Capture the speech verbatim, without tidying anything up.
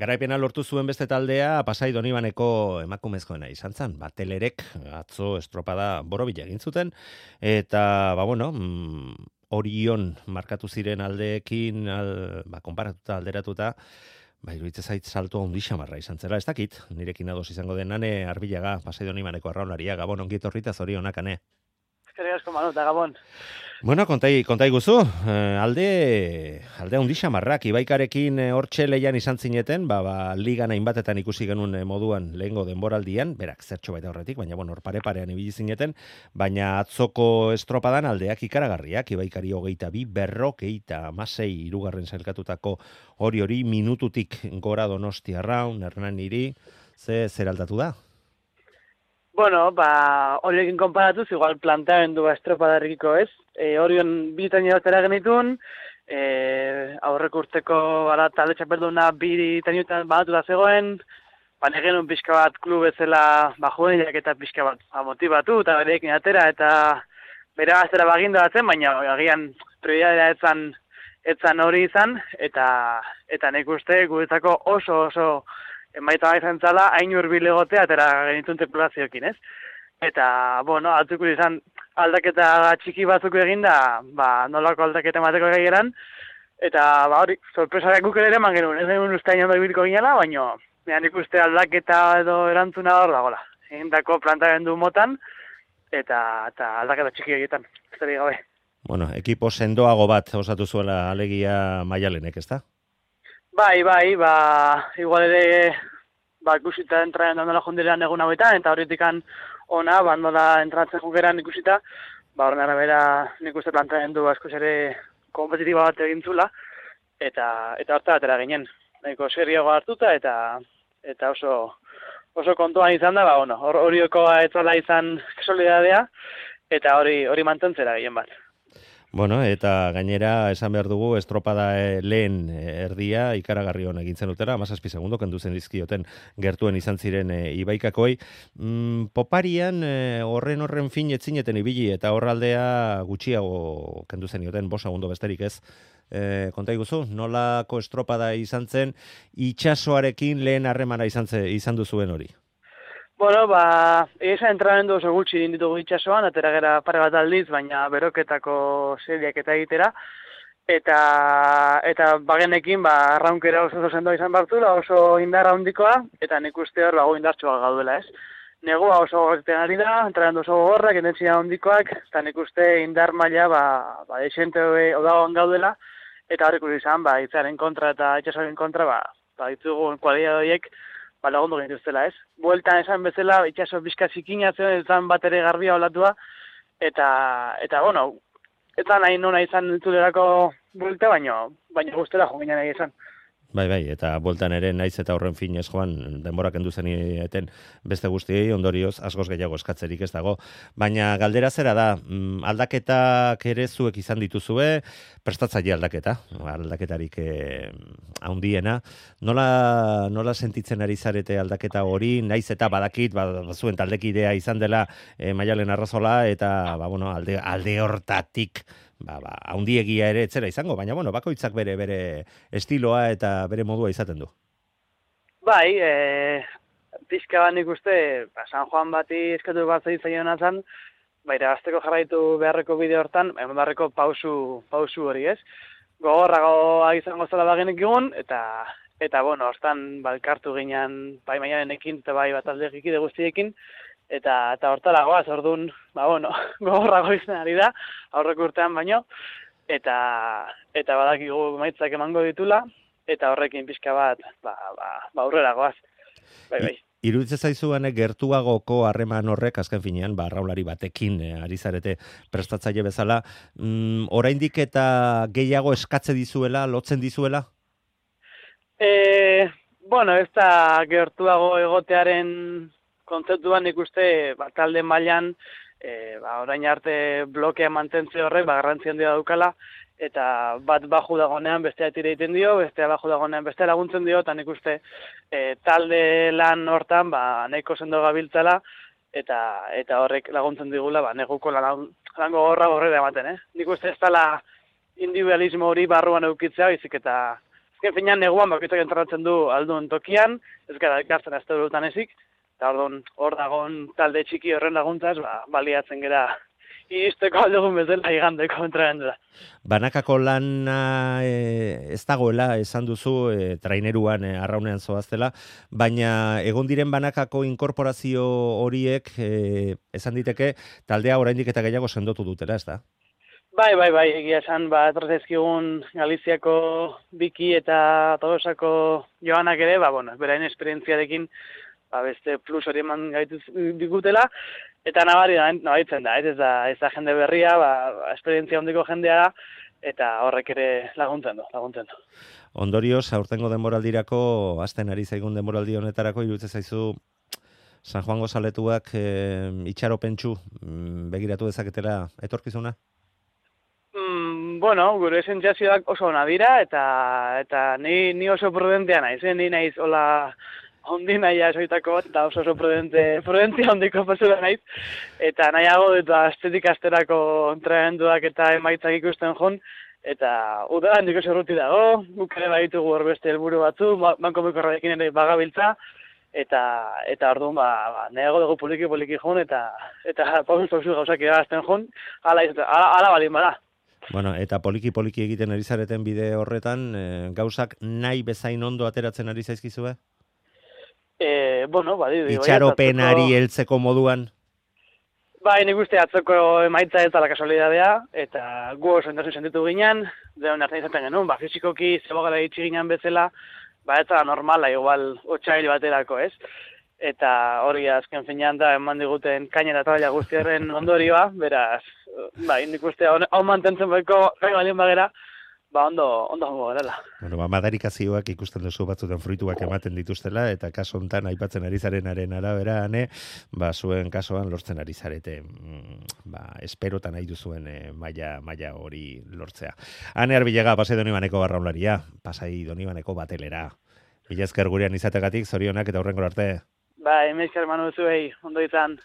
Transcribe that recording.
Garaipena lortu zuen beste taldea Pasai Donibaneko emakumezkoena izan zen. Batelerek atzo estropada borobila egin zuten eta ba bueno, mm, Orion markatu ziren aldeekin al, ba, konparatuta alderatuta ba, iruditzen zait salto handi xamarra izan zela, ez dakit, nirekin ados izango den Ane Arbilaga, Pasai Donibaneko arraunlaria, Gabon ongi etorrita zorionak, Ane. Eskerrik asko Manu eta Gabon. Bueno, kontai, kontai guzu, eh, alde, alde handi xamarrak, Ibaikarekin eh, hortxe leian izan zineten, ba, ba, ligan hainbatetan ikusi genuen eh, moduan lehengo denboraldian, berak zertxo baita horretik, baina bueno, hor pare-parean ibili zineten, baina atzoko estropadan aldeak ikaragarriak, Ibaikari hogeita bi, berrok, eita, amasei, irugarren zailkatutako hori hori minututik gora Donosti arraun, Hernán Niri, ze zer aldatu da? Bueno, ba, horiekin konparatuz, igual planteamendu estropadarrikiko ez. E, Orion bitan jotera genitun, e, aurreko urteko ara talde txapelduna bi teniutan banatu da zegoen, ba, genuen pixka bat klub bezala ba, juvenilak eta pixka bat ba, motibatu eta bereekin atera eta bere gaztera baginda batzen, baina agian prioridadea etzan, etzan hori izan, eta eta nik uste guretzako oso oso emaita izan zala, hain urbil egotea, atera genitun tripulazioekin, ez? Eta, bueno, atzuko izan aldaketa txiki batzuk eginda, ba, nolako aldaketa emateko gaigeran, eta, ba, hori, sorpresarek guk ere eman genuen, ez genuen uste hain ondo ibiliko ginela, baina, nik uste aldaketa edo erantzuna hor dagoela. Egindako plantamendu motan, eta, eta aldaketa txiki egiten, ez gabe. Bueno, ekipo sendoago bat osatu zuela alegia Maialenek, ezta? Bai, bai, ba, igual ere, ba, ikusita entraen dandola jondilean egun hauetan, eta horretikan ona, ba, nola entratzen jukeran ikusita, ba, horren arabera nik uste plantean du askoz ere kompetitiba bat egin zula, eta, eta horta batera ginen. Nahiko serioa hartuta, eta, eta oso, oso kontuan izan da, ba, bueno, hor, horioko etzala izan solidadea, eta hori, hori mantentzera gehien bat. Bueno, eta gainera esan behar dugu estropada e, lehen erdia ikaragarri hon egin zenutera, hamazazpi segundo kendu zen dizkioten gertuen izan ziren e, Ibaikakoi. Mm, poparian e, horren horren fin etzineten ibili eta horraldea gutxiago kendu zenioten, bost segundo besterik ez. E, konta iguzu, nolako estropada izan zen itxasoarekin lehen harremana izan, ze, izan duzuen hori? Bueno, ba, eza entrenamendu oso gutxi ditugu itxasoan, atera gera pare bat aldiz, baina beroketako seriak eta egitera, eta eta bagenekin, ba, arraunkera oso oso sendoa izan bartula, oso indarra handikoa, eta nik uste hor, bago indartxoa gaudela, ez? Negua oso gorten ari da, entrenamendu oso gorrak, intentzia handikoak, eta nik uste indar maila, ba, ba, esente odagoan gaudela, eta horrek izan, ba, itzaren kontra eta itxasoaren kontra, ba, ba, ditugu kualia horiek, ba, lagundu genituztela, ez? Bueltan esan bezala, itxaso bizka zikinatzen, ezan bat ere garbia olatua, eta, eta, bueno, eta nahi nona izan entzulerako buelta, baina, baina guztela jo ginen nahi izan. Bai, bai, eta bueltan ere naiz eta horren finez joan denbora kendu zeniten beste guztiei ondorioz askoz gehiago eskatzerik ez dago. Baina galdera zera da, aldaketak ere zuek izan dituzue, prestatzaile aldaketa, aldaketarik eh, handiena. Nola, nola sentitzen ari zarete aldaketa hori, naiz eta badakit, ba, zuen taldekidea izan dela eh, Maialen Arrazola, eta ba, bueno, alde, alde hortatik, ba, ba, haundiegia ere etzera izango, baina bueno, bakoitzak bere bere estiloa eta bere modua izaten du. Bai, e, pixka bat nik uste, ba, San Juan bati eskatu bat zaitzen zan, baina azteko jarraitu beharreko bide hortan, eman beharreko pausu, pausu hori ez. Gogorragoa izango zela bagenek egun, eta, eta bueno, hortan balkartu ginen bai Maialenekin eta bai bat aldekikide guztiekin, Eta, eta hortalagoaz, orduan, ba, bueno, gogorrago izan ari da, aurreko urtean baino, eta, eta badakigu maitzak emango ditula, eta horrekin pixka bat, ba, ba, ba aurreragoaz. Bai, bai. Iruditzen zaizuan gertuagoko harreman horrek, azken finean, ba, arraunlari batekin eh, ari zarete prestatzaile bezala, mm, oraindik eta gehiago eskatze dizuela, lotzen dizuela? E, bueno, ez da gertuago egotearen kontzeptuan ikuste ba, talde mailan e, ba, orain arte blokea mantentze horrek ba, garrantzi handia daukala, eta bat baju dagonean bestea tira egiten dio, bestea baju dagonean bestea laguntzen dio, eta nik uste e, talde lan hortan ba, nahiko sendo gabiltzala, eta eta horrek laguntzen digula ba, neguko lan, lango gorra horrela ematen. Eh? Nik uste ez dela individualismo hori barruan eukitzea, bizik eta azken finean neguan bakoitzak entrenatzen du aldun tokian, ez gara ikartzen azte durutan ezik, eta orduan hor dagoen talde txiki horren laguntzaz, ba, baliatzen gera iristeko aldugun bezala igandeko entrenamendura. Banakako lana e, ez dagoela, esan duzu, e, traineruan e, arraunean zoaztela, baina egon diren banakako inkorporazio horiek, e, esan diteke, taldea oraindik eta gehiago sendotu dutela, ez da? Bai, bai, bai, egia esan, ba, etorrezkigun Galiziako Biki eta Tolosako Joanak ere, ba, bueno, beraien esperientziarekin, ba, beste plus hori eman gaitu digutela, eta nabari da, nabaritzen da, ez da, ez da jende berria, ba, esperientzia hondiko jendea da, eta horrek ere laguntzen du, laguntzen du. Ondorioz, aurtengo denboraldirako, hasten ari zaigun denboraldi honetarako, iruditzen zaizu, San Juango zaletuak e, itxaropentsu begiratu dezaketela etorkizuna? Mm, bueno, gure sentsazioak oso ona dira, eta eta ni, ni oso prudentea naiz, eh? Ni naiz hola ondi naia esoitako bat, eta oso oso prudente, prudentzia ondiko pasura naiz, eta nahiago dut astetik asterako entrenamenduak eta emaitzak ikusten jon, eta udara handiko zerruti dago, guk ere baditugu hor beste helburu batzu, banko mekorrarekin ere bagabiltza, eta eta orduan ba, ba nahiago dugu poliki poliki jon, eta eta pausu-pausu gauzak irabazten jon, hala, hala, hala balin bada. Bueno, eta poliki-poliki egiten ari zareten bide horretan, e, gauzak nahi bezain ondo ateratzen ari zaizkizue? Eh, bueno, badi, itxaropenari heltzeko moduan? Bai, nik uste atzoko emaitza ez dela kasualidadea, eta gu oso endazu sentitu ginen, deun hartzen izaten genuen, ba, fizikoki zebogara itxi ginen bezala, ba, ez da normala, igual, otxail baterako, ez? Eta hori azken finean da, eman diguten kainera eta guztiaren ondorioa, beraz, bai, nik uste hau mantentzen beko, gai balien bagera, ba, ondo, ondo hongo garela. Bueno, ba, madarikazioak ikusten duzu batzutan fruituak ematen dituztela, eta kaso hontan aipatzen ari zarenaren arabera, ane, ba, zuen kasoan lortzen ari zarete, ba, esperotan nahi duzuen e, maila, maila hori lortzea. Ane Arbilega, Pasai Donibaneko barraunlaria, Pasai Donibaneko batelera. Mila esker gurean izategatik, zorionak eta hurrengora arte. Bai, mila esker Manu zuei, ondo izan.